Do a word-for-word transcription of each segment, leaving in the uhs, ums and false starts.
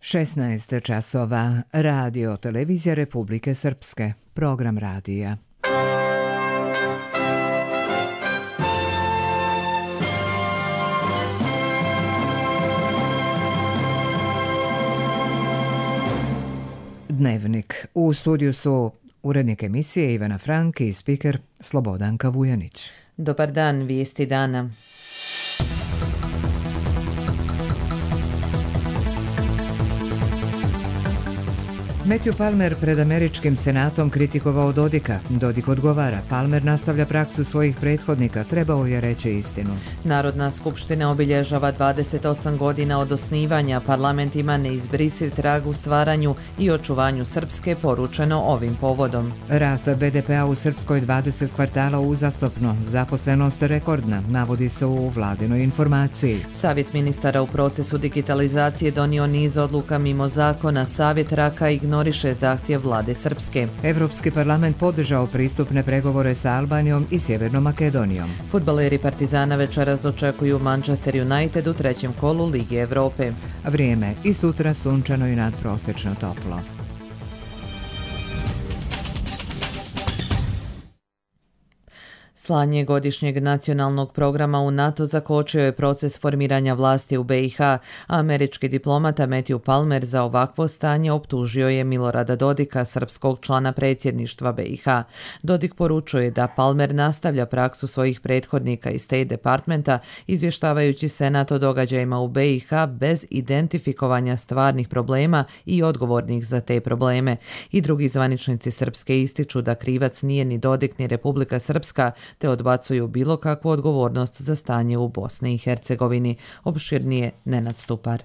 šesnaest časova, Radio Televizija Republike Srpske, program radija. Dnevnik. U studiju su urednik emisije Ivana Frank i spiker Slobodanka Vujanić. Dobar dan, vijesti dana. Matthew Palmer pred američkim senatom kritikovao Dodika. Dodik odgovara. Palmer nastavlja praksu svojih prethodnika. Trebao je reći istinu. Narodna skupština obilježava dvadeset osam godina od osnivanja. Parlament ima neizbrisiv trag u stvaranju i očuvanju Srpske, poručeno ovim povodom. Rast be de pea u Srpskoj dvadeset kvartala uzastopno. Zaposlenost rekordna, navodi se u vladinoj informaciji. Savjet ministara u procesu digitalizacije donio niz odluka mimo zakona. Savjet Raka ignorira ignoriše zahtjev vlade Srpske. Evropski parlament podržao pristupne pregovore sa Albanijom i Sjevernom Makedonijom. Fudbaleri Partizana večeras dočekuju Manchester United u trećem kolu Lige Evrope. Vrijeme i sutra sunčano i nadprosečno toplo. Slanje godišnjeg nacionalnog programa u NATO zakočio je proces formiranja vlasti u be i ha. Američki diplomata Matthew Palmer za ovakvo stanje optužio je Milorada Dodika, srpskog člana predsjedništva be i ha. Dodik poručuje da Palmer nastavlja praksu svojih prethodnika iz State Departmenta, izvještavajući Senat o događajima u be i ha bez identifikovanja stvarnih problema i odgovornih za te probleme. I drugi zvaničnici Srpske ističu da krivac nije ni Dodik ni Republika Srpska, te odbacuju bilo kakvu odgovornost za stanje u Bosni i Hercegovini. Opširnije Nenad Stupar.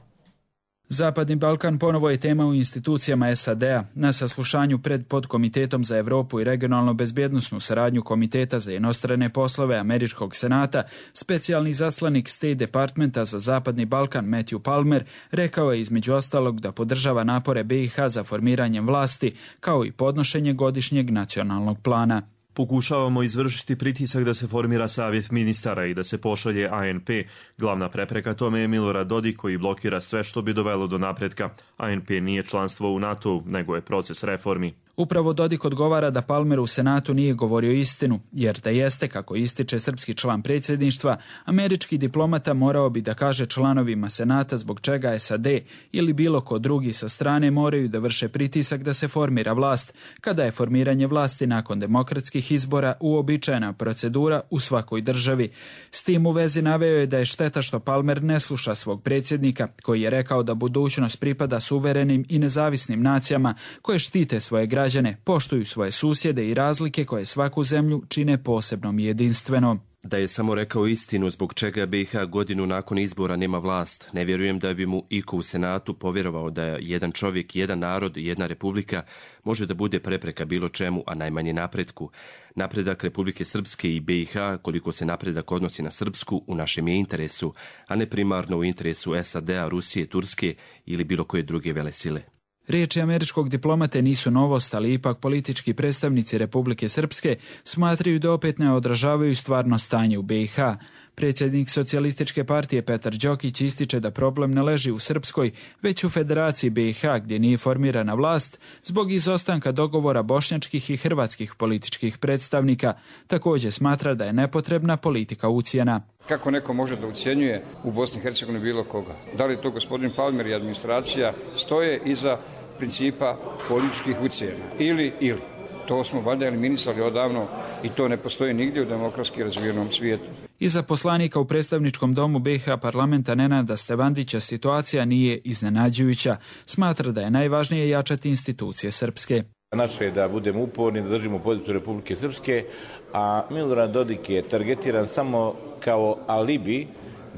Zapadni Balkan ponovo je tema u institucijama es a de a. Na saslušanju pred podkomitetom za Evropu i regionalno bezbjednosnu saradnju Komiteta za inostrane poslove Američkog senata, specijalni zaslanik State Departmenta za Zapadni Balkan Matthew Palmer rekao je između ostalog da podržava napore be i ha za formiranjem vlasti, kao i podnošenje godišnjeg nacionalnog plana. Pokušavamo izvršiti pritisak da se formira savjet ministara i da se pošalje a en pe. Glavna prepreka tome je Milorad Dodik koji blokira sve što bi dovelo do napretka. a en pe nije članstvo u NATO-u, nego je proces reformi. Upravo Dodik odgovara da Palmer u Senatu nije govorio istinu, jer da jeste, kako ističe srpski član predsjedništva, američki diplomata morao bi da kaže članovima Senata zbog čega es a de ili bilo ko drugi sa strane moraju da vrše pritisak da se formira vlast, kada je formiranje vlasti nakon demokratskih izbora uobičajena procedura u svakoj državi. S tim u vezi naveo je da je šteta što Palmer ne sluša svog predsjednika, koji je rekao da budućnost pripada suverenim i nezavisnim nacijama koje štite svoje građane, poštuju svoje susjede i razlike koje svaku zemlju čine posebnom i jedinstvenom. Da je samo rekao istinu zbog čega be i ha godinu nakon izbora nema vlast. Ne vjerujem da bi mu iko u Senatu povjerovao da jedan čovjek, jedan narod i jedna republika može da bude prepreka bilo čemu, a najmanje napretku. Napredak Republike Srpske i be i ha, koliko se napredak odnosi na Srpsku, u našem je interesu, a ne primarno u interesu es a de a, Rusije, Turske ili bilo koje druge velesile. Riječi američkog diplomate nisu novost, ali ipak politički predstavnici Republike Srpske smatraju da opet ne odražavaju stvarno stanje u be i ha. Predsjednik Socijalističke partije Petar Đokić ističe da problem ne leži u Srpskoj, već u Federaciji be i ha, gdje nije formirana vlast zbog izostanka dogovora bošnjačkih i hrvatskih političkih predstavnika. Također smatra da je nepotrebna politika ucjena. Kako neko može da ucjenjuje u Bosni i Hercegovini bilo koga? Da li to gospodin Palmer i administracija stoje iza principa političkih ucjena? Ili, ili. To smo valjda eliminisali odavno i to ne postoji nigdje u demokratski razvijenom svijetu. Iza poslanika u predstavničkom domu be i ha parlamenta Nenada Stevandića situacija nije iznenađujuća. Smatra da je najvažnije jačati institucije Srpske. Naše je da budemo uporni, da držimo poziciju Republike Srpske, a Milorad Dodik je targetiran samo kao alibi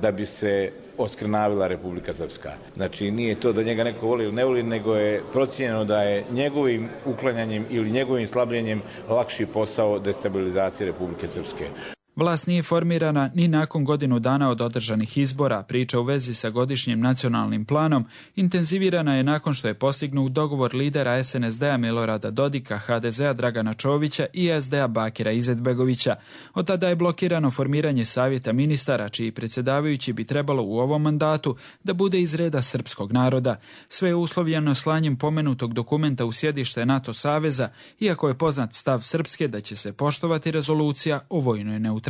da bi se oskrnavila Republika Srpska. Znači nije to da njega neko voli ili ne voli, nego je procijenjeno da je njegovim uklanjanjem ili njegovim slabljenjem lakši posao destabilizacije Republike Srpske. Vlast nije formirana ni nakon godinu dana od održanih izbora. Priča u vezi sa godišnjim nacionalnim planom intenzivirana je nakon što je postignut dogovor lidera es en es de a Milorada Dodika, ha de ze a Dragana Čovića i es de a Bakira Izetbegovića. Od tada je blokirano formiranje savjeta ministara, čiji predsjedavajući bi trebalo u ovom mandatu da bude iz reda srpskog naroda. Sve je uslovljeno slanjem pomenutog dokumenta u sjedište NATO saveza, iako je poznat stav Srpske da će se poštovati rezolucija o vojnoj neutralnosti.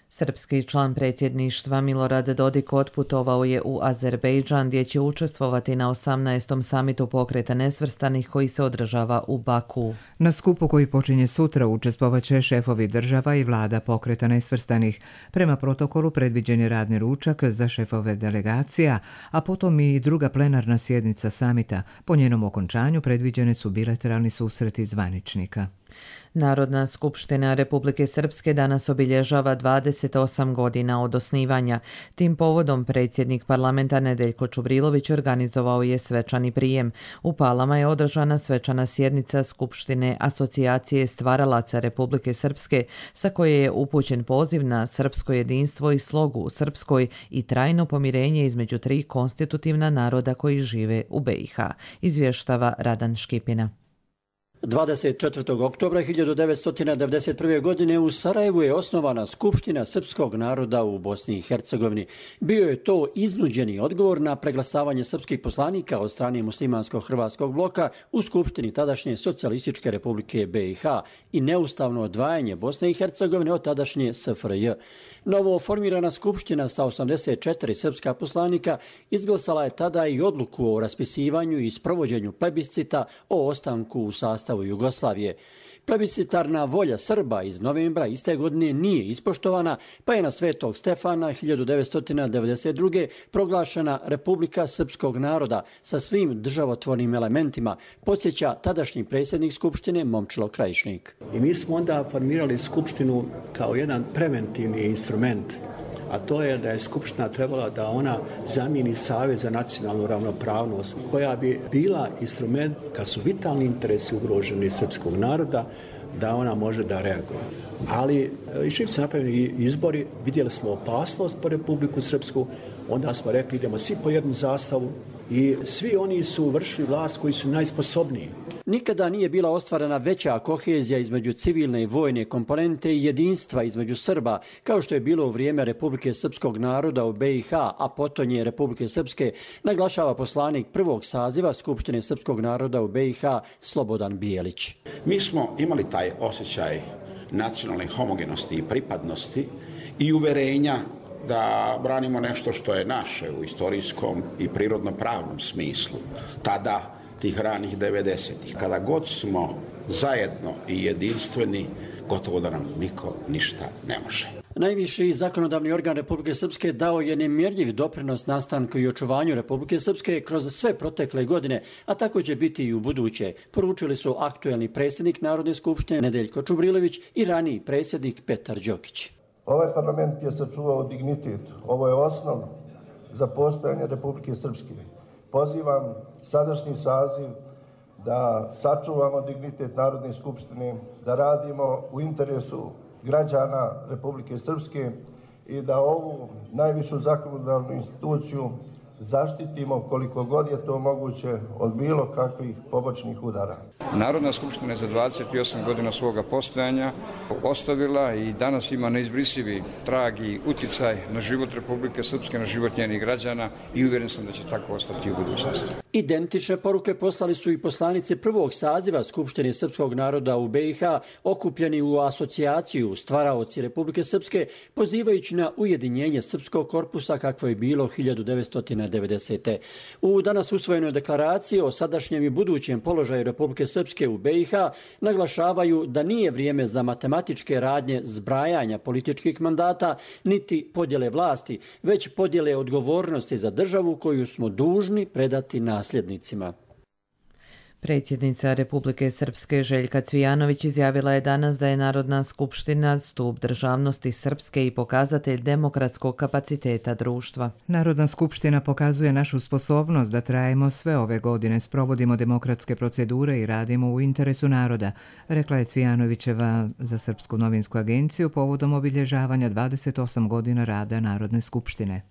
Srpski član predsjedništva Milorad Dodik otputovao je u Azerbejdžan gdje će učestvovati na osamnaestom samitu pokreta nesvrstanih koji se održava u Baku. Na skupu koji počinje sutra učestvovat će šefovi država i vlada pokreta nesvrstanih. Prema protokolu predviđen je radni ručak za šefove delegacija, a potom i druga plenarna sjednica samita. Po njenom okončanju predviđene su bilateralni susreti zvaničnika. Narodna skupština Republike Srpske danas obilježava dvadeset osam godina od osnivanja. Tim povodom predsjednik parlamenta Nedeljko Čubrilović organizovao je svečani prijem. U Palama je održana svečana sjednica Skupštine Asocijacije stvaralaca Republike Srpske, sa koje je upućen poziv na srpsko jedinstvo i slogu u Srpskoj i trajno pomirenje između tri konstitutivna naroda koji žive u be i ha, izvještava Radan Škipina. dvadeset četvrtog oktobra hiljadu devetsto devedeset prve. godine u Sarajevu je osnovana Skupština srpskog naroda u Bosni i Hercegovini. Bio je to iznuđeni odgovor na preglasavanje srpskih poslanika od strane muslimansko-hrvatskog bloka u Skupštini tadašnje Socijalističke Republike be i ha i neustavno odvajanje Bosne i Hercegovine od tadašnje es ef er je. Novo formirana skupština sa osamdeset četiri srpska poslanika izglasala je tada i odluku o raspisivanju i sprovođenju plebiscita o ostanku u sastavu Jugoslavije. Plebiscitarna volja Srba iz novembra iste godine nije ispoštovana, pa je na Svetog Stefana hiljadu devetsto devedeset druge. proglašena Republika srpskog naroda sa svim državotvornim elementima, podsjeća tadašnji predsjednik Skupštine Momčilo Krajišnik. I mi smo onda formirali Skupštinu kao jedan preventivni instrument, a to je da je Skupština trebala da ona zamijeni Savez za nacionalnu ravnopravnost, koja bi bila instrument kad su vitalni interesi ugroženi srpskog naroda, da ona može da reaguje. Ali i čim su napravljeni izbori, vidjeli smo opasnost po Republiku Srpsku, onda smo rekli idemo svi po jednu zastavu i svi oni su vršili vlast koji su najsposobniji. Nikada nije bila ostvarena veća kohezija između civilne i vojne komponente i jedinstva između Srba, kao što je bilo u vrijeme Republike Srpskog naroda u be i ha, a potonje Republike Srpske, naglašava poslanik prvog saziva Skupštine Srpskog naroda u be i ha Slobodan Bijelić. Mi smo imali taj osjećaj nacionalne homogenosti i pripadnosti i uverenja da branimo nešto što je naše u istorijskom i prirodno-pravnom smislu. Tada, tih ranih devedesetih. Kada god smo zajedno i jedinstveni, gotovo da nam niko ništa ne može. Najviši zakonodavni organ Republike Srpske dao je nemjerljiv doprinos nastanku i očuvanju Republike Srpske kroz sve protekle godine, a tako će biti i u buduće, poručili su aktuelni predsjednik Narodne skupštine Nedeljko Čubrilović i raniji predsjednik Petar Đokić. Ovaj parlament je sačuvao dignitet. Ovo je osnov za postojanje Republike Srpske. Pozivam sadašnji saziv da sačuvamo dignitet Narodne skupštine, da radimo u interesu građana Republike Srpske i da ovu najvišu zakonodavnu instituciju zaštitimo koliko god je to moguće od bilo kakvih pobočnih udara. Narodna skupština je za dvadeset osam godina svoga postojanja ostavila i danas ima neizbrisivi trag i uticaj na život Republike Srpske, na život njenih građana i uvjeren sam da će tako ostati u budućnosti. Identične poruke poslali su i poslanici prvog saziva Skupštine Srpskog naroda u be i ha, okupljeni u asocijaciju Stvaraoci Republike Srpske, pozivajući na ujedinjenje srpskog korpusa kakvo je bilo hiljadu devetsto devedesete. U danas usvojenoj deklaraciji o sadašnjem i budućem položaju Republike Srpske u be i ha naglašavaju da nije vrijeme za matematičke radnje zbrajanja političkih mandata niti podjele vlasti, već podjele odgovornosti za državu koju smo dužni predati nasljednicima. Predsjednica Republike Srpske Željka Cvijanović izjavila je danas da je Narodna skupština stup državnosti Srpske i pokazatelj demokratskog kapaciteta društva. Narodna skupština pokazuje našu sposobnost da trajemo sve ove godine, sprovodimo demokratske procedure i radimo u interesu naroda, rekla je Cvijanovićeva za Srpsku novinsku agenciju povodom obilježavanja dvadeset osam godina rada Narodne skupštine.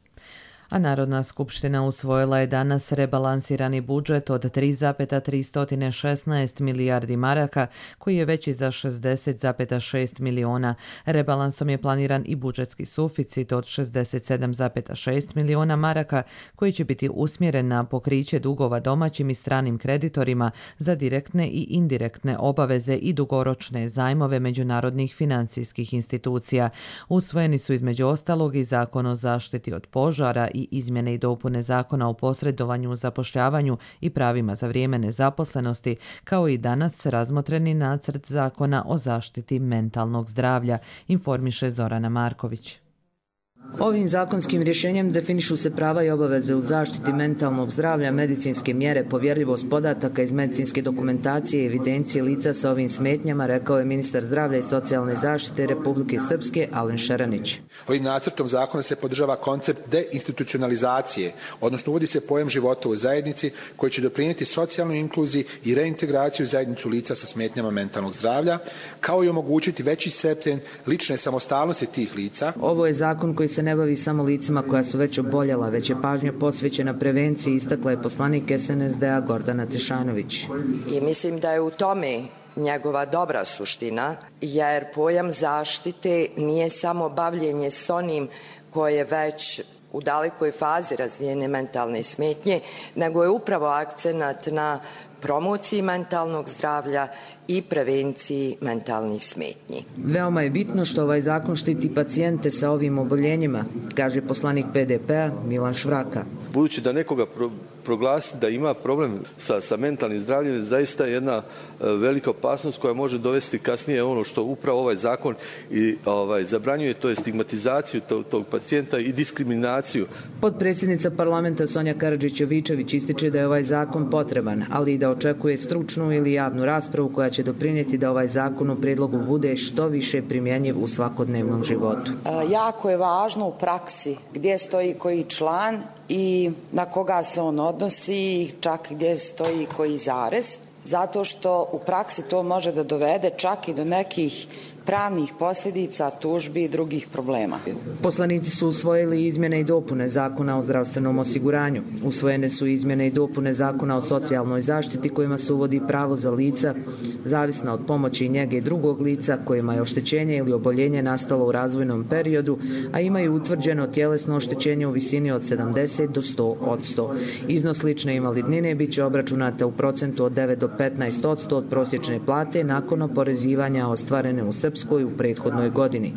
A Narodna skupština usvojila je danas rebalansirani budžet od tri zarez tristo šesnaest milijardi maraka, koji je veći za šezdeset zarez šest miliona. Rebalansom je planiran i budžetski suficit od šezdeset sedam zarez šest miliona maraka, koji će biti usmjeren na pokriće dugova domaćim i stranim kreditorima za direktne i indirektne obaveze i dugoročne zajmove međunarodnih financijskih institucija. Usvojeni su između ostalog i Zakon o zaštiti od požara i izmjene i dopune Zakona o posredovanju u zapošljavanju i pravima za vrijeme nezaposlenosti, kao i danas razmotreni nacrt Zakona o zaštiti mentalnog zdravlja, informiše Zorana Marković. Ovim zakonskim rješenjem definišu se prava i obaveze u zaštiti mentalnog zdravlja, medicinske mjere, povjerljivost podataka iz medicinske dokumentacije i evidencije lica sa ovim smetnjama, rekao je ministar zdravlja i socijalne zaštite Republike Srpske Alen Šeranić. Ovim nacrtom zakona se podržava koncept deinstitucionalizacije, odnosno uvodi se pojam života u zajednici koji će doprinijeti socijalnoj inkluziji i reintegraciju u zajednicu lica sa smetnjama mentalnog zdravlja, kao i omogućiti veći stepen lične samostalnosti tih lica. Ovo je zakon koji se ne bavi samo licima koja su već oboljela, već je pažnja posvećena prevenciji, istakla je poslanik es en es de a Gordana Tešanović. I mislim da je u tome njegova dobra suština, jer pojam zaštite nije samo bavljenje s onim koje već u dalekoj fazi razvijene mentalne smetnje, nego je upravo akcenat na promociji mentalnog zdravlja i prevenciji mentalnih smetnji. Veoma je bitno što ovaj zakon štiti pacijente sa ovim oboljenjima, kaže poslanik pe de pe a Milan Švraka. Budući da nekoga pro, proglasiti da ima problem sa, sa mentalnim zdravljem je zaista jedna e, velika opasnost koja može dovesti kasnije ono što upravo ovaj zakon i ovaj zabranjuje, to je stigmatizaciju tog, tog pacijenta i diskriminaciju. Potpredsjednica parlamenta Sonja Karadžić-Jovičević ističe da je ovaj zakon potreban, ali i da očekuje stručnu ili javnu raspravu koja će doprinijeti da ovaj zakon u prijedlogu bude što više primjenjiv u svakodnevnom životu. E, jako je važno u praksi gdje stoji koji član i na koga se on odnosi, čak gdje stoji koji zarez, zato što u praksi to može da dovede čak i do nekih pravnih posljedica, tužbi i drugih problema. Poslanici su usvojili izmjene i dopune Zakona o zdravstvenom osiguranju. Usvojene su izmjene i dopune Zakona o socijalnoj zaštiti kojima se uvodi pravo za lica zavisna od pomoći i njege drugog lica kojima je oštećenje ili oboljenje nastalo u razvojnom periodu, a imaju utvrđeno tjelesno oštećenje u visini od sedamdeset do sto posto. Iznos lične invalidnine bit će obračunata u procentu od devet do petnaest posto od prosječne plate nakon oporezivanja ostvarene u Srpskoj u prethodnoj godini.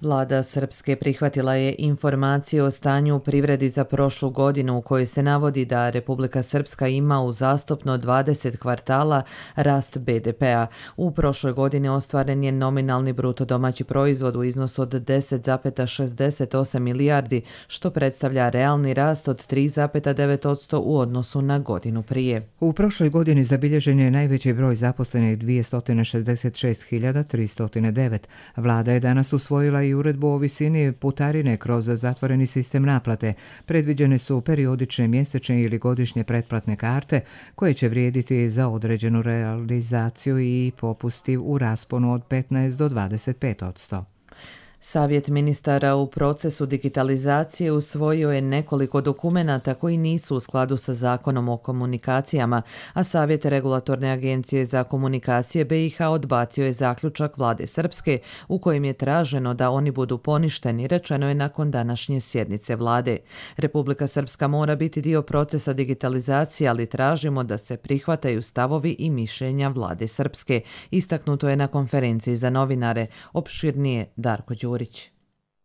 Vlada Srpske prihvatila je informacije o stanju u privredi za prošlu godinu u kojoj se navodi da Republika Srpska ima uzastopno dvadeset kvartala rast be de pe a. U prošloj godini ostvaren je nominalni bruto domaći proizvod u iznosu od deset zarez šezdeset osam milijardi, što predstavlja realni rast od tri zarez devet posto u odnosu na godinu prije. U prošloj godini zabilježen je najveći broj zaposlenih dvjesto šezdeset šest hiljada tristo devet. Vlada je danas usvojila i uredbu o visini putarine kroz zatvoreni sistem naplate. Predviđene su periodične, mjesečne ili godišnje pretplatne karte koje će vrijediti za određenu realizaciju i popusti u rasponu od petnaest do dvadeset pet posto. Savjet ministara u procesu digitalizacije usvojio je nekoliko dokumenata koji nisu u skladu sa Zakonom o komunikacijama, a Savjet Regulatorne agencije za komunikacije be i ha odbacio je zaključak vlade Srpske u kojem je traženo da oni budu poništeni, rečeno je nakon današnje sjednice vlade. Republika Srpska mora biti dio procesa digitalizacije, ali tražimo da se prihvataju stavovi i mišljenja vlade Srpske. Istaknuto je na konferenciji za novinare. Opširnije Darko Đurić.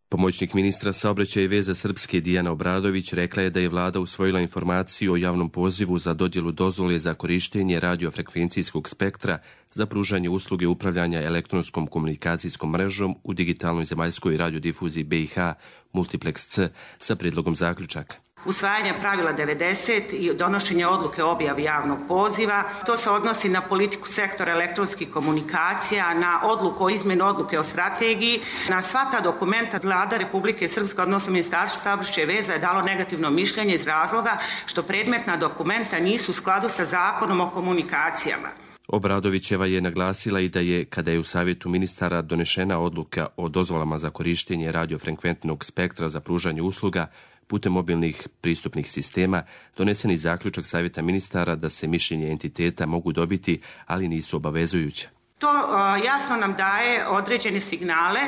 Pomoćnik ministra saobraćaja i veza Srpske Dijana Obradović rekla je da je vlada usvojila informaciju o javnom pozivu za dodjelu dozvole za korištenje radiofrekvencijskog spektra za pružanje usluge upravljanja elektronskom komunikacijskom mrežom u digitalnoj zemaljskoj radiodifuziji be i ha Multiplex C sa predlogom zaključaka. usvajanja pravila devedeset i donošenja odluke o objavi javnog poziva. To se odnosi na politiku sektora elektronskih komunikacija, na odluku o izmjeni odluke o strategiji. Na sva ta dokumenta Vlada Republike Srpske, odnosno Ministarstvo saobraćaja i veza, je dalo negativno mišljenje iz razloga što predmetna dokumenta nisu u skladu sa Zakonom o komunikacijama. Obradovićeva je naglasila i da je, kada je u savjetu ministara donešena odluka o dozvolama za korištenje radiofrekventnog spektra za pružanje usluga putem mobilnih pristupnih sistema, donesen i zaključak savjeta ministara da se mišljenje entiteta mogu dobiti, ali nisu obavezujuća. To uh, jasno nam daje određene signale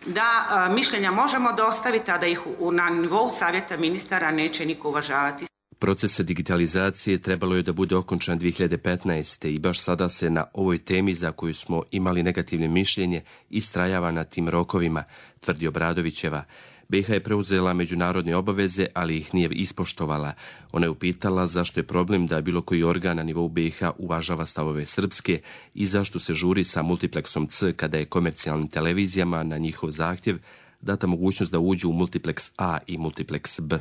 da uh, mišljenja možemo dostaviti, a da ih u, na nivou savjeta ministara neće niko uvažavati. Proces digitalizacije trebalo je da bude okončan dvije hiljade petnaeste. i baš sada se na ovoj temi za koju smo imali negativne mišljenje istrajava na tim rokovima, tvrdi Obradovićeva. B i H je preuzela međunarodne obaveze, ali ih nije ispoštovala. Ona je upitala zašto je problem da bilo koji organ na nivou B i H uvažava stavove srpske i zašto se žuri sa multipleksom C kada je komercijalnim televizijama na njihov zahtjev data mogućnost da uđu u multipleks A i multipleks B.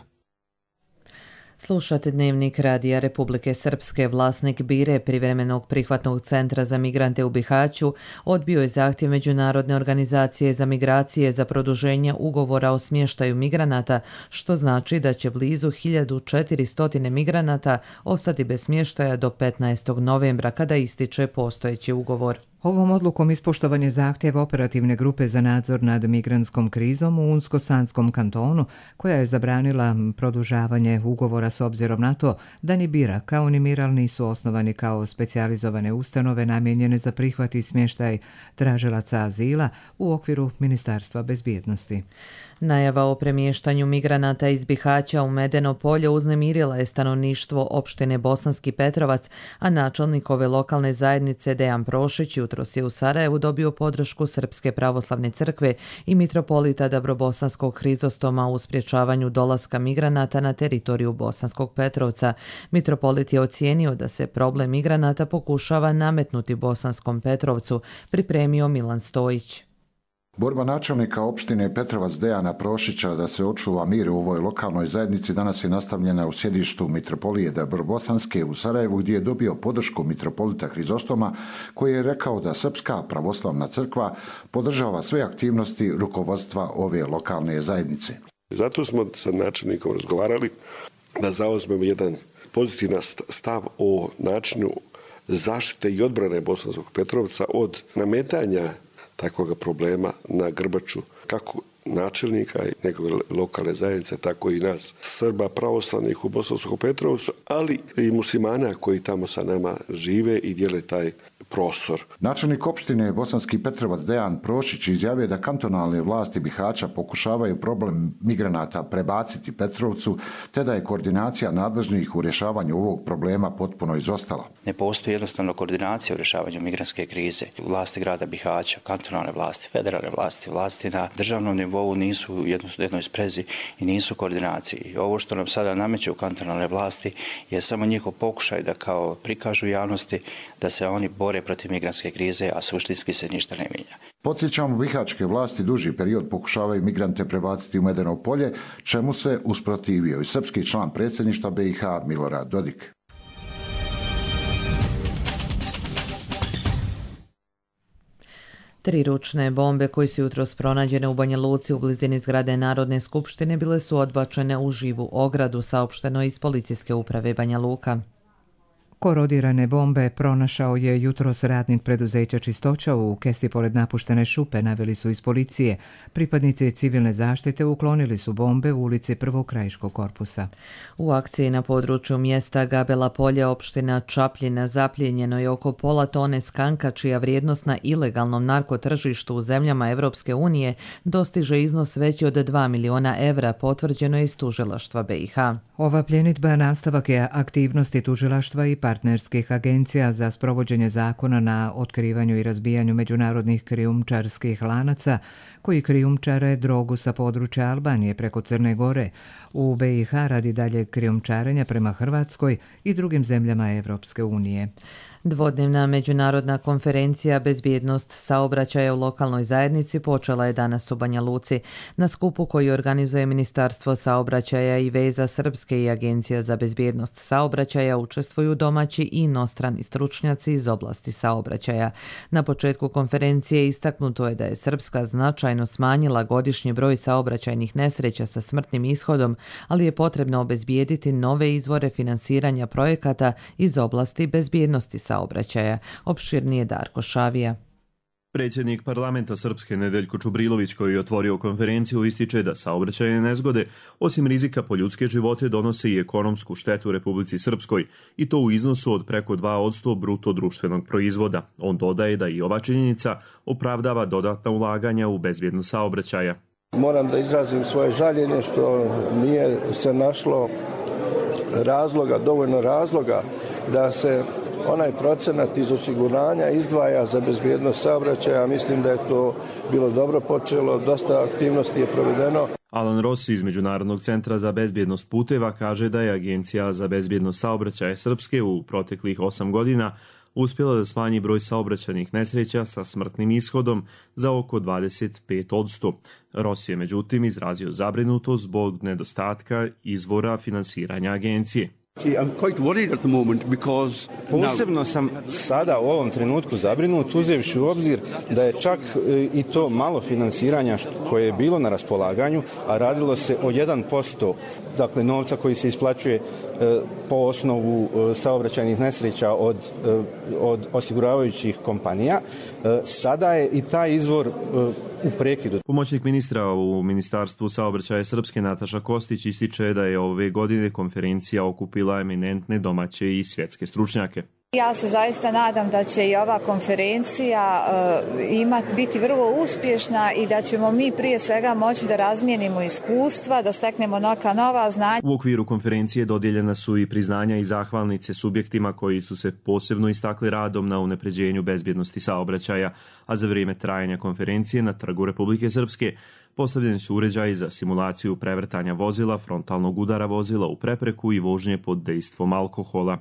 Slušate Dnevnik Radija Republike Srpske. Vlasnik Bire, privremenog prihvatnog centra za migrante u Bihaću, odbio je zahtjev Međunarodne organizacije za migracije za produženje ugovora o smještaju migranata, što znači da će blizu hiljadu četiristo migranata ostati bez smještaja do petnaestog novembra, kada ističe postojeći ugovor. Ovom odlukom ispoštovan je zahtjev operativne grupe za nadzor nad migrantskom krizom u Unsko-Sanskom kantonu, koja je zabranila produžavanje ugovora s obzirom na to da ni Bira kao ni Miral nisu osnovani kao specijalizovane ustanove namijenjene za prihvat i smještaj tražilaca azila u okviru Ministarstva bezbjednosti. Najava o premještanju migranata iz Bihaća u Medeno polje uznemirila je stanovništvo opštine Bosanski Petrovac, a načelnik ove lokalne zajednice Dejan Prošić jutros je u Sarajevu dobio podršku Srpske pravoslavne crkve i mitropolita Dabrobosanskog Hrizostoma u sprječavanju dolaska migranata na teritoriju Bosanskog Petrovca. Mitropolit je ocijenio da se problem migranata pokušava nametnuti Bosanskom Petrovcu, pripremio Milan Stojić. Borba načelnika opštine Petrovac Dejana Prošića da se očuva mir u ovoj lokalnoj zajednici danas je nastavljena u sjedištu mitropolije Dabrobosanske u Sarajevu, gdje je dobio podršku mitropolita Hrizostoma, koji je rekao da Srpska pravoslavna crkva podržava sve aktivnosti rukovodstva ove lokalne zajednice. Zato smo sa načelnikom razgovarali da zauzmemo jedan pozitivan stav o načinu zaštite i odbrane Bosanskog Petrovca od nametanja takvog problema na grbaču kako načelnika i njegove lokalne zajednice, tako i nas Srba pravoslavnih u Bosanskom Petrovcu, ali i muslimana koji tamo sa nama žive i dijele taj prostor. Načelnik opštine Bosanski Petrovac Dejan Prošić izjavio da kantonalne vlasti Bihaća pokušavaju problem migranata prebaciti Petrovcu, te da je koordinacija nadležnih u rješavanju ovog problema potpuno izostala. Ne postoji jednostavno koordinacija u rješavanju migrantske krize. Vlasti grada Bihaća, kantonalne vlasti, federalne vlasti, vlasti na državnom nivou nisu u jednoj sprezi i nisu u koordinaciji. Ovo što nam sada nameću kantonalne vlasti je samo njihov pokušaj da kao prikažu javnosti da se oni bore protiv migrantske krize, a suštinski se ništa ne mijenja. Podsjećamo, bihaćke vlasti duži period pokušavaju migrante prebaciti u Medeno polje, čemu se usprotivio i srpski član predsjedništva B i H Milorad Dodik. Tri ručne bombe koje su jutros pronađene u Banja Luci u blizini zgrade Narodne skupštine bile su odbačene u živu ogradu, saopšteno iz policijske uprave Banja Luka. Korodirane bombe pronašao je jutros radnik preduzeća Čistoća u kesi pored napuštene šupe, naveli su iz policije. Pripadnici civilne zaštite uklonili su bombe u ulici Prvog krajiškog korpusa. U akciji na području mjesta Gabela polje opština Čapljina zaplijenjeno je oko pola tone skanka, čija vrijednost na ilegalnom narkotržištu u zemljama Evropske unije dostiže iznos veći od dva miliona evra, potvrđeno je iz tužilaštva B i H. Ova pljenidba nastavak je aktivnosti tužilaštva i partnerskih agencija za sprovođenje zakona na otkrivanju i razbijanju međunarodnih krijumčarskih lanaca koji krijumčare drogu sa područja Albanije preko Crne Gore u B i H radi dalje krijumčarenja prema Hrvatskoj i drugim zemljama Evropske unije. Dvodnevna međunarodna konferencija Bezbjednost saobraćaja u lokalnoj zajednici počela je danas u Banja Luci. Na skupu koji organizuje Ministarstvo saobraćaja i veza Srpske i Agencija za bezbjednost saobraćaja učestvuju domaći i inostrani stručnjaci iz oblasti saobraćaja. Na početku konferencije istaknuto je da je Srpska značajno smanjila godišnji broj saobraćajnih nesreća sa smrtnim ishodom, ali je potrebno obezbijediti nove izvore finansiranja projekata iz oblasti bezbjednosti saobraćaja. Opširnije Darko Šavija. Predsjednik parlamenta Srpske Nedeljko Čubrilović, koji je otvorio konferenciju, ističe da saobraćajne nezgode, osim rizika po ljudske živote, donose i ekonomsku štetu Republici Srpskoj, i to u iznosu od preko dva posto bruto društvenog proizvoda. On dodaje da i ova činjenica opravdava dodatna ulaganja u bezbjednost saobraćaja. Moram da izrazim svoje žaljenje što nije se našlo razloga, dovoljno razloga da se onaj procenat iz osiguranja izdvaja za bezbjednost saobraćaja. Mislim da je to bilo dobro počelo, dosta aktivnosti je provedeno. Alan Ross iz Međunarodnog centra za bezbjednost puteva kaže da je Agencija za bezbjednost saobraćaja Srpske u proteklih osam godina uspjela da smanji broj saobraćajnih nesreća sa smrtnim ishodom za oko dvadeset pet posto. Ross je međutim izrazio zabrinutost zbog nedostatka izvora finansiranja agencije. Posebno sam sada u ovom trenutku zabrinut, uzevši u obzir da je čak i to malo finansiranja koje je bilo na raspolaganju, a radilo se o jedan posto, dakle novca koji se isplaćuje po osnovu saobraćajnih nesreća od, od osiguravajućih kompanija. Sada je i taj izvor u prekidu. Pomoćnik ministra u Ministarstvu saobraćaja Srpske Nataša Kostić ističe da je ove godine konferencija okupila eminentne domaće i svjetske stručnjake. Ja se zaista nadam da će i ova konferencija uh, ima, biti vrlo uspješna i da ćemo mi prije svega moći da razmijenimo iskustva, da steknemo neka nova znanja. U okviru konferencije dodijeljena su i priznanja i zahvalnice subjektima koji su se posebno istakli radom na unapređenju bezbjednosti saobraćaja, a za vrijeme trajanja konferencije na Trgu Republike Srpske postavljeni su uređaji za simulaciju prevrtanja vozila, frontalnog udara vozila u prepreku i vožnje pod dejstvom alkohola.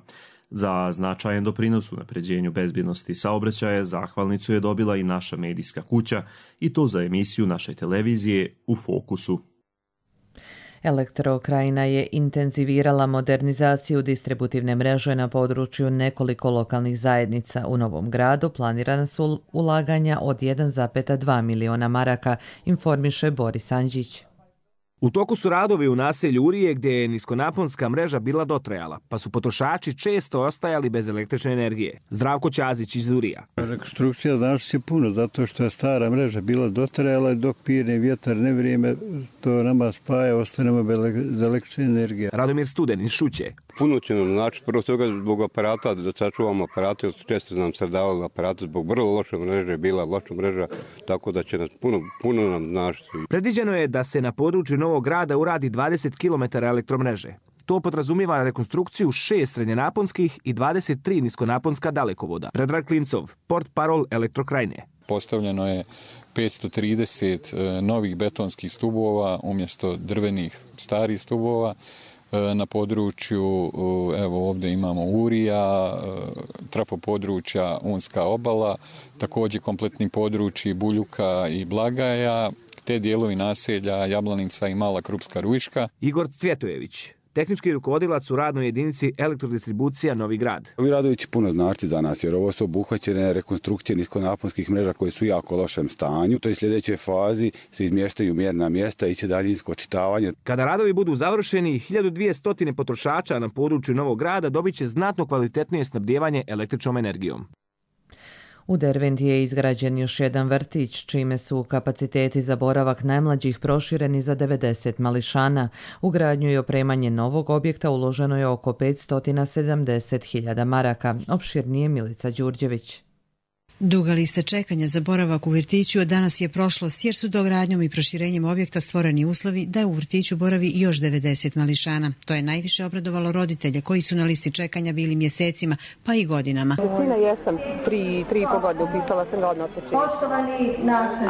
Za značajan doprinos u napređenju bezbjednosti saobraćaja zahvalnicu je dobila i naša medijska kuća, i to za emisiju naše televizije U fokusu. Elektrokrajina je intenzivirala modernizaciju distributivne mreže na području nekoliko lokalnih zajednica. U Novom Gradu planirana su ulaganja od jedan zarez dva miliona maraka, informiše Boris Anđić. U toku su radovi u naselju Urije gdje je niskonaponska mreža bila dotrajala, pa su potrošači često ostajali bez električne energije. Zdravko Ćazić iz Urija. Rekonstrukcija znači će puno, zato što je stara mreža bila dotrajala, dok pirne vjetar ne vrijeme, to nama spaja, ostanemo bez električne energije. Radomir Studen iz Šuće. Puno će nam znači, prvo toga zbog aparata, da sačuvamo aparate, često nam srdavali aparate, zbog vrlo loše mreže, bila loša mreža, tako da će nas puno, puno nam značiti. Predviđeno je da se na području Novog Grada uradi dvadeset kilometara elektromreže. To podrazumijeva rekonstrukciju šest srednjenaponskih i dvadeset tri niskonaponska dalekovoda. Predrag Klincov, port parol Elektrokrajine. Postavljeno je petsto trideset novih betonskih stubova umjesto drvenih starih stubova. Na području, evo ovdje imamo Urija, trafo područja Unska obala, također kompletni područji Buljuka i Blagaja, te dijelovi naselja Jablanica i Mala Krupska Ruiška. Igor Cvjetojević, tehnički rukovodilac u radnoj jedinici Elektrodistribucija Novi Grad. Ovi radovi će puno znači za nas, jer ovo su obuhvaćene rekonstrukcije niskonaponskih mreža koje su u jako lošem stanju. To je sljedeće fazi se izmještaju mjerna mjesta i će daljinsko očitavanje. Kada radovi budu završeni, hiljadu dvjesto potrošača na području Novog Grada dobit će znatno kvalitetnije snabdijevanje električnom energijom. U Derventi je izgrađen još jedan vrtić, čime su kapaciteti za boravak najmlađih prošireni za devedeset mališana. U gradnju i opremanje novog objekta uloženo je oko petsto sedamdeset hiljada maraka. Opširnije Milica Đurđević. Duga lista čekanja za boravak u vrtiću danas je prošlost jer su dogradnjom i proširenjem objekta stvoreni uslovi da u vrtiću boravi još devedeset mališana. To je najviše obradovalo roditelje koji su na listi čekanja bili mjesecima pa i godinama. Sina jesam, tri, tri i po godine upisala sam ga odmah počinje.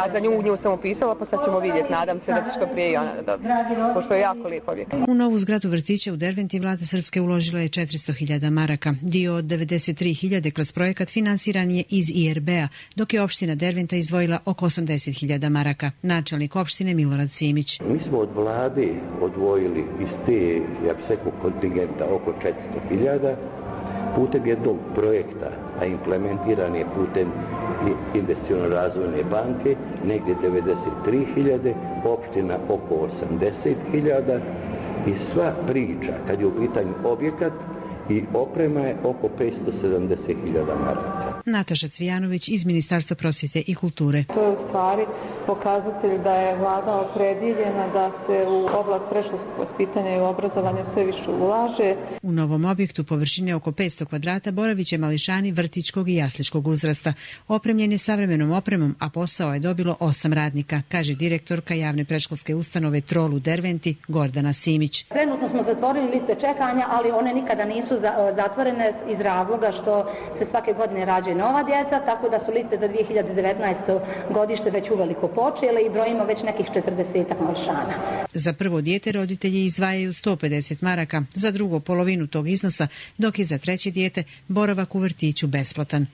A za nju, nju sam upisala pa sad ćemo vidjeti. Nadam se da će što prije i ona da dobije, pošto je jako lijep objekt. U novu zgradu vrtića u Derventi vlada Srpske uložila je četiristo hiljada maraka. Dio od devedeset tri hiljade kroz projekat finansiran je iz I R B-a, dok je opština Derventa izdvojila oko osamdeset hiljada maraka. Načelnik opštine Milorad Simić. Mi smo od vlade odvojili iz te, ja bih rekao, kontingenta oko četiristo hiljada putem jednog projekta, a implementiran je putem investiciono razvojne banke, negdje devedeset tri hiljade, opština oko osamdeset hiljada i sva priča kad je u pitanju objekat i oprema je oko petsto sedamdeset hiljada maraka. Nataša Cvijanović iz Ministarstva prosvjete i kulture. To je u stvari pokazatelj da je vlada opredjeljena da se u oblast predškolskog vaspitanja i obrazovanja sve više ulaže. U novom objektu površine oko petsto kvadrata boravit će mališani vrtićkog i jasličkog uzrasta. Opremljen je savremenom opremom, a posao je dobilo osam radnika, kaže direktorka javne predškolske ustanove Trol u Derventi Gordana Simić. Trenutno smo zatvorili liste čekanja, ali one nikada nisu zatvorene iz razloga što se svake godine rađaju nova djeca, tako da su liste za dvije hiljade devetnaesto godište već uveliko počele i brojimo već nekih četrdesetak mališana. Za prvo dijete roditelji izdvajaju sto pedeset maraka, za drugo polovinu tog iznosa, dok je za treće dijete boravak u vrtiću besplatan.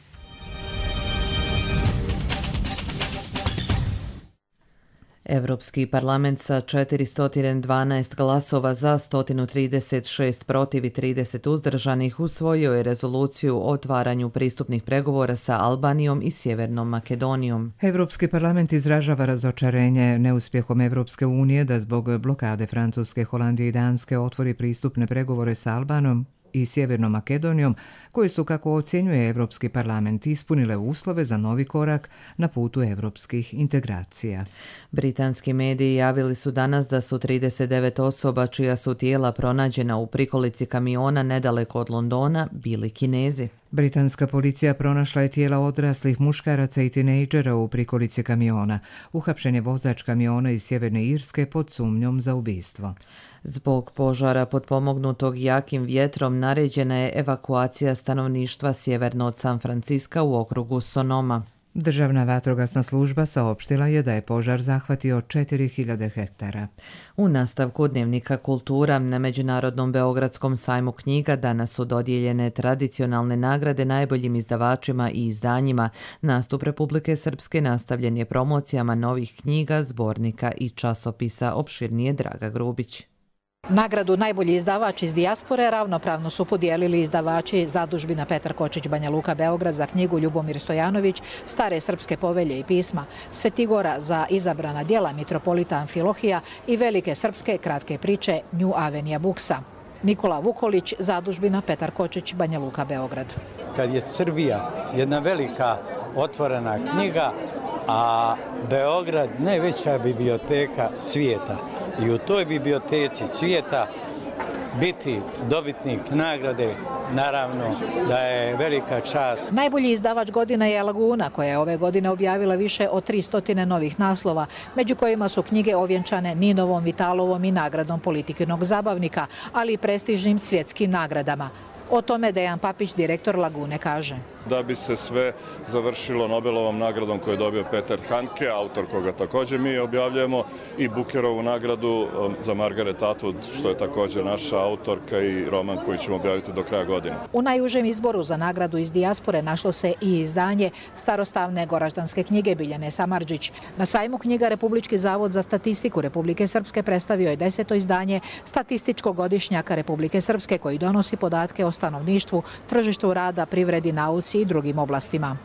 Europski parlament sa četiristo dvanaest glasova za, sto trideset šest protiv i trideset uzdržanih usvojio je rezoluciju o otvaranju pristupnih pregovora sa Albanijom i Sjevernom Makedonijom. Europski parlament izražava razočarenje neuspjehom Europske unije da zbog blokade Francuske, Holandije i Danske otvori pristupne pregovore sa Albanijom i Sjevernom Makedonijom, koji su, kako ocjenjuje Europski parlament, ispunile uslove za novi korak na putu europskih integracija. Britanski mediji javili su danas da su trideset devet osoba čija su tijela pronađena u prikolici kamiona nedaleko od Londona bili Kinezi. Britanska policija pronašla je tijela odraslih muškaraca i tinejdžera u prikolici kamiona. Uhapšen je vozač kamiona iz Sjeverne Irske pod sumnjom za ubistvo. Zbog požara potpomognutog jakim vjetrom naređena je evakuacija stanovništva sjeverno od San Franciska u okrugu Sonoma. Državna vatrogasna služba saopštila je da je požar zahvatio četiri hiljade hektara. U nastavku Dnevnika kultura na Međunarodnom Beogradskom sajmu knjiga danas su dodijeljene tradicionalne nagrade najboljim izdavačima i izdanjima. Nastup Republike Srpske nastavljen je promocijama novih knjiga, zbornika i časopisa. Opširnije Draga Grubić. Nagradu najbolji izdavač iz dijaspore ravnopravno su podijelili izdavači Zadužbina Petar Kočić Banja Luka Beograd za knjigu Ljubomir Stojanović, Stare srpske povelje i pisma, Svetigora za izabrana djela Mitropolita Amfilohija i Velike srpske kratke priče New Avenija Buksa. Nikola Vukolić, Zadužbina Petar Kočić Banja Luka Beograd. Kad je Srbija jedna velika otvorena knjiga, a Beograd najveća biblioteka svijeta. I u toj biblioteci svijeta biti dobitnik nagrade, naravno da je velika čast. Najbolji izdavač godine je Laguna, koja je ove godine objavila više od tristo novih naslova, među kojima su knjige ovjenčane Ninovom, Vitalovom i nagradom Politikinog zabavnika, ali i prestižnim svjetskim nagradama. O tome Dejan Papić, direktor Lagune, kaže. Da bi se sve završilo Nobelovom nagradom koju je dobio Peter Handke, autor koga također mi objavljujemo, i Bukerovu nagradu za Margaret Atwood, što je također naša autorka, i roman koji ćemo objaviti do kraja godine. U najužem izboru za nagradu iz dijaspore našlo se i izdanje starostavne goraždanske knjige Biljane Samardžić. Na sajmu knjiga Republički zavod za statistiku Republike Srpske predstavio je deseto izdanje statističkog godišnjaka Republike Srpske koji donosi podatke o stanovništvu, tržištu rada, privredi, nauci i drugim oblastima.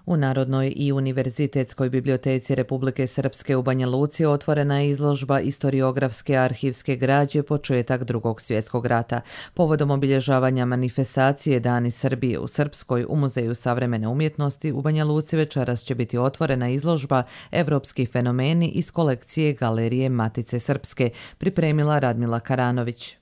U Narodnoj i univerzitetskoj biblioteci Republike Srpske u Banja Luci otvorena je izložba istoriografske arhivske građe početak Drugog svjetskog rata. Povodom obilježavanja manifestacije Dani Srbije u Srpskoj u Muzeju savremene umjetnosti u Banja Luci večeras će biti otvorena izložba Evropski fenomeni iz kolekcije Galerije Matice Srpske, pripremila Radmila Karanović.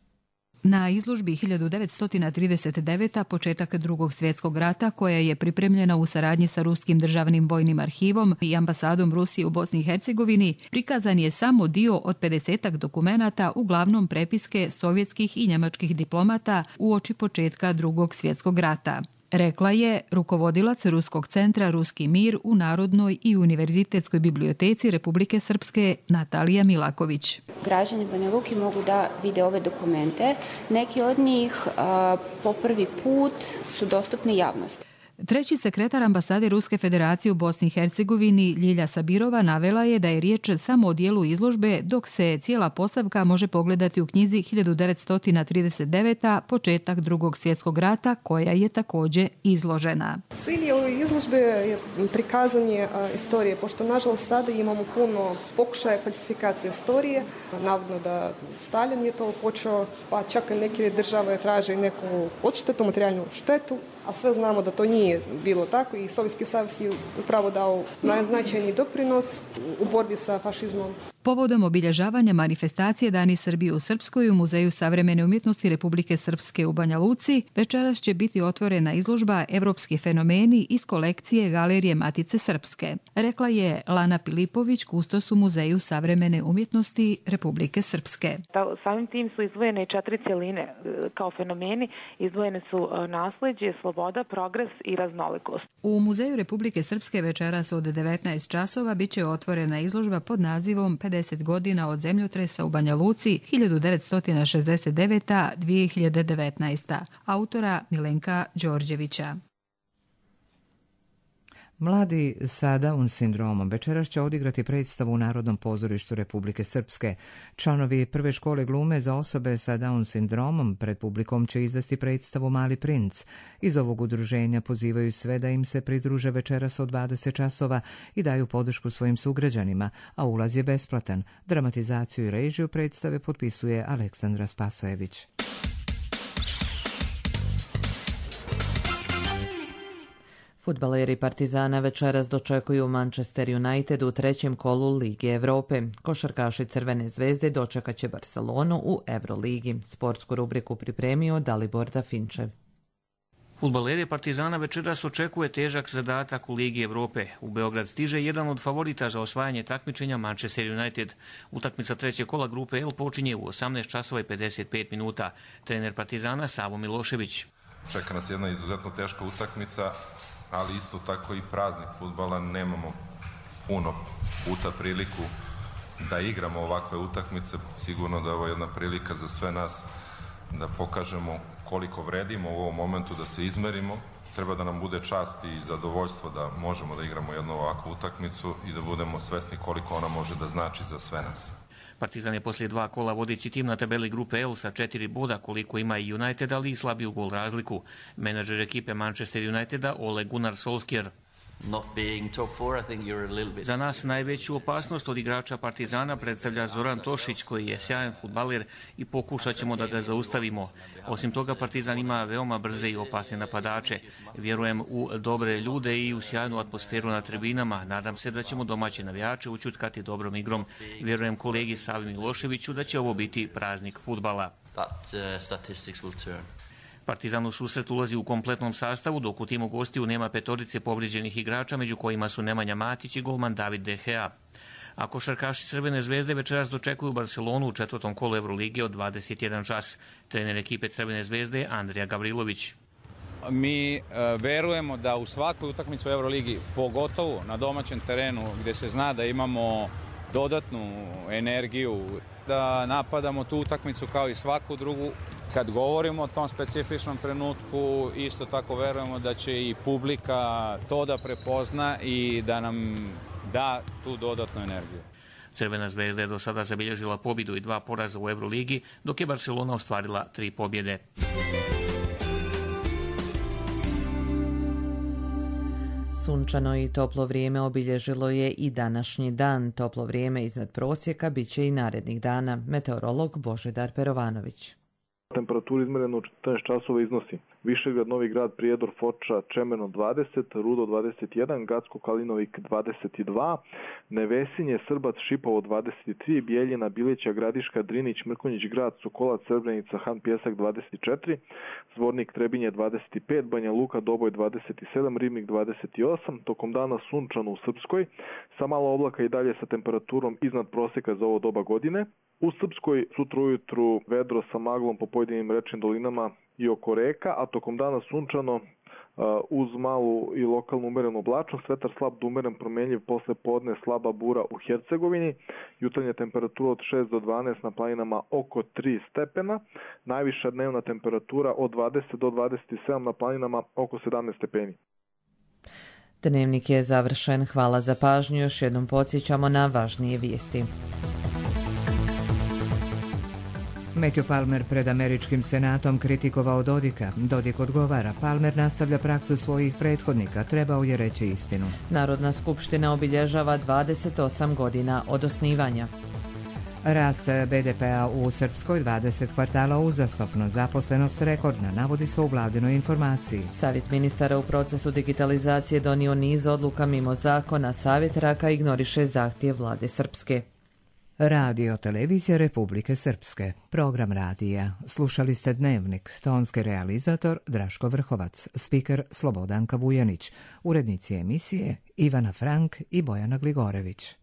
Na izložbi hiljadu devetsto trideset deveta. početak drugog svjetskog rata, koja je pripremljena u saradnji sa Ruskim državnim vojnim arhivom i ambasadom Rusije u Bosni i Hercegovini, prikazan je samo dio od pedesetak dokumenata, uglavnom prepiske sovjetskih i njemačkih diplomata uoči početka drugog svjetskog rata. Rekla je rukovodilac Ruskog centra Ruski mir u Narodnoj i univerzitetskoj biblioteci Republike Srpske Natalija Milaković. Građani Banja Luke mogu da vide ove dokumente. Neki od njih a, po prvi put su dostupni javnosti. Treći sekretar ambasade Ruske federacije u Bosni i Hercegovini Ljilja Sabirova navela je da je riječ samo o dijelu izložbe, dok se cijela postavka može pogledati u knjizi hiljadu devetsto trideset deveta. početak drugog svjetskog rata, koja je također izložena. Cilj ove izložbe je prikazanje istorije, pošto nažalost sada imamo puno pokušaja falsifikacije istorije. Navodno da Stalin je to počeo, pa čak i neke države traže neku odštetu, materijalnu štetu, a sve znamo da to nije bilo tako i Sovjetski savez je upravo dao najznačajniji doprinos u borbi sa fašizmom. Povodom obilježavanja manifestacije Dani Srbije u Srpskoj u Muzeju savremene umjetnosti Republike Srpske u Banja Luci večeras će biti otvorena izložba Evropski fenomeni iz kolekcije Galerije Matice Srpske, rekla je Lana Pilipović, kustos u Muzeju savremene umjetnosti Republike Srpske. Samim tim su izdvojene četiri cjeline kao fenomeni, izdvojene su nasleđe, sloboda, progres i raznolikost. U Muzeju Republike Srpske večeras od devetnaest časova bit će otvorena izložba pod nazivom pedeset godina od zemljotresa u Banja Luci hiljadu devetsto šezdeset deveta do dvije hiljade devetnaeste. Autora Milenka Đorđevića. Mladi sa Down sindromom večeras će odigrati predstavu u Narodnom pozorištu Republike Srpske. Članovi prve škole glume za osobe sa Down sindromom pred publikom će izvesti predstavu Mali princ. Iz ovog udruženja pozivaju sve da im se pridruže večeras od dvadeset časova i daju podršku svojim sugrađanima, a ulaz je besplatan. Dramatizaciju i režiju predstave potpisuje Aleksandra Spasojević. Fudbaleri Partizana večeras dočekuju Manchester United u trećem kolu Lige Evrope. Košarkaši Crvene zvezde dočekat će Barcelonu u Euroligi. Sportsku rubriku pripremio Dalibor Dafinčev. Fudbaleri Partizana večeras očekuje težak zadatak u Ligi Evrope. U Beograd stiže jedan od favorita za osvajanje takmičenja Manchester United. Utakmica trećeg kola grupe L počinje u osamnaest časova i pedeset pet minuta. Trener Partizana Savo Milošević. Čeka nas jedna izuzetno teška utakmica, ali isto tako i praznik fudbala. Nemamo puno puta priliku da igramo ovakve utakmice. Sigurno da je ovo jedna prilika za sve nas da pokažemo koliko vredimo u ovom momentu, da se izmerimo. Treba da nam bude čast i zadovoljstvo da možemo da igramo jednu ovakvu utakmicu i da budemo svesni koliko ona može da znači za sve nas. Partizan je poslije dva kola vodeći tim na tabeli grupe L sa četiri boda, koliko ima i United, ali i slabiju gol razliku. Menadžer ekipe Manchester Uniteda Ole Gunnar Solskjaer. Za nas najveću opasnost od igrača Partizana predstavlja Zoran Tošić, koji je sjajan fudbaler i pokušat ćemo da ga zaustavimo. Osim toga, Partizan ima veoma brze i opasne napadače. Vjerujem u dobre ljude i u sjajnu atmosferu na tribinama. Nadam se da ćemo domaće navijače učutkati dobrom igrom. Vjerujem kolegi Savi Miloševiću da će ovo biti praznik fudbala. Partizan u susret ulazi u kompletnom sastavu, dok u timu gostiju nema petorice povrijeđenih igrača, među kojima su Nemanja Matić i golman David De Gea. A košarkaši Crvene zvezde večeras dočekuju Barcelonu u četvrtom kolu Evrolige od dvadeset jedan čas. Trener ekipe Crvene zvezde Andrija Gavrilović. Mi e, verujemo da u svakoj utakmici u Euroligi, pogotovo na domaćem terenu gdje se zna da imamo dodatnu energiju, da napadamo tu utakmicu kao i svaku drugu. Kad govorimo o tom specifičnom trenutku, isto tako verujemo da će i publika to da prepozna i da nam da tu dodatnu energiju. Crvena zvezda je do sada zabilježila pobjedu i dva poraza u Euroligi, dok je Barcelona ostvarila tri pobjede. Sunčano i toplo vrijeme obilježilo je i današnji dan. Toplo vrijeme iznad prosjeka bit će i narednih dana. Meteorolog Božidar Perovanović. Temperatura izmerena u četrnaest časova iznosi Višegrad, Novi Grad, Prijedor, Foča, Čemerno dvadeset, Rudo dvadeset jedan, Gacko, Kalinovik dvadeset dva, Nevesinje, Srbac, Šipovo dvadeset tri, Bijeljina, Bilića, Gradiška, Drinić, Mrkonjić Grad, Sokolac, Srebrenica, Han Pjesak dvadeset četiri, Zvornik, Trebinje dvadeset pet, Banja Luka, Doboj dvadeset sedam, Ribnik dvadeset osam, tokom dana sunčano u Srpskoj, sa malo oblaka i dalje sa temperaturom iznad proseka za ovo doba godine. U Srpskoj sutra ujutru vedro sa maglom po pojedinim rečnim dolinama i oko reka, a tokom dana sunčano uz malu i lokalnu umerenu oblačnost, vetar slab do umeren promenljiv, posle podne slaba bura u Hercegovini, jutarnja temperatura od šest do dvanaest, na planinama oko tri stepena, najviša dnevna temperatura od dvadeset do dvadeset sedam, na planinama oko sedamnaest stepeni. Dnevnik je završen. Hvala za pažnju. Još jednom podsjećamo na važnije vijesti. Matthew Palmer pred američkim senatom kritikovao Dodika. Dodik odgovara, Palmer nastavlja praksu svojih prethodnika, trebao je reći istinu. Narodna skupština obilježava dvadeset osam godina od osnivanja. Rast be de pea u Srpskoj dvadeset kvartala uzastopno, zaposlenost rekordna, navodi se u vladinoj informaciji. Savjet ministara u procesu digitalizacije donio niz odluka mimo zakona. Savjet Raka ignoriše zahtjev vlade Srpske. Radio Televizija Republike Srpske. Program radija. Slušali ste Dnevnik. Tonski realizator Draško Vrhovac. Spiker Slobodanka Vujanić. Urednici emisije Ivana Frank i Bojana Gligorević.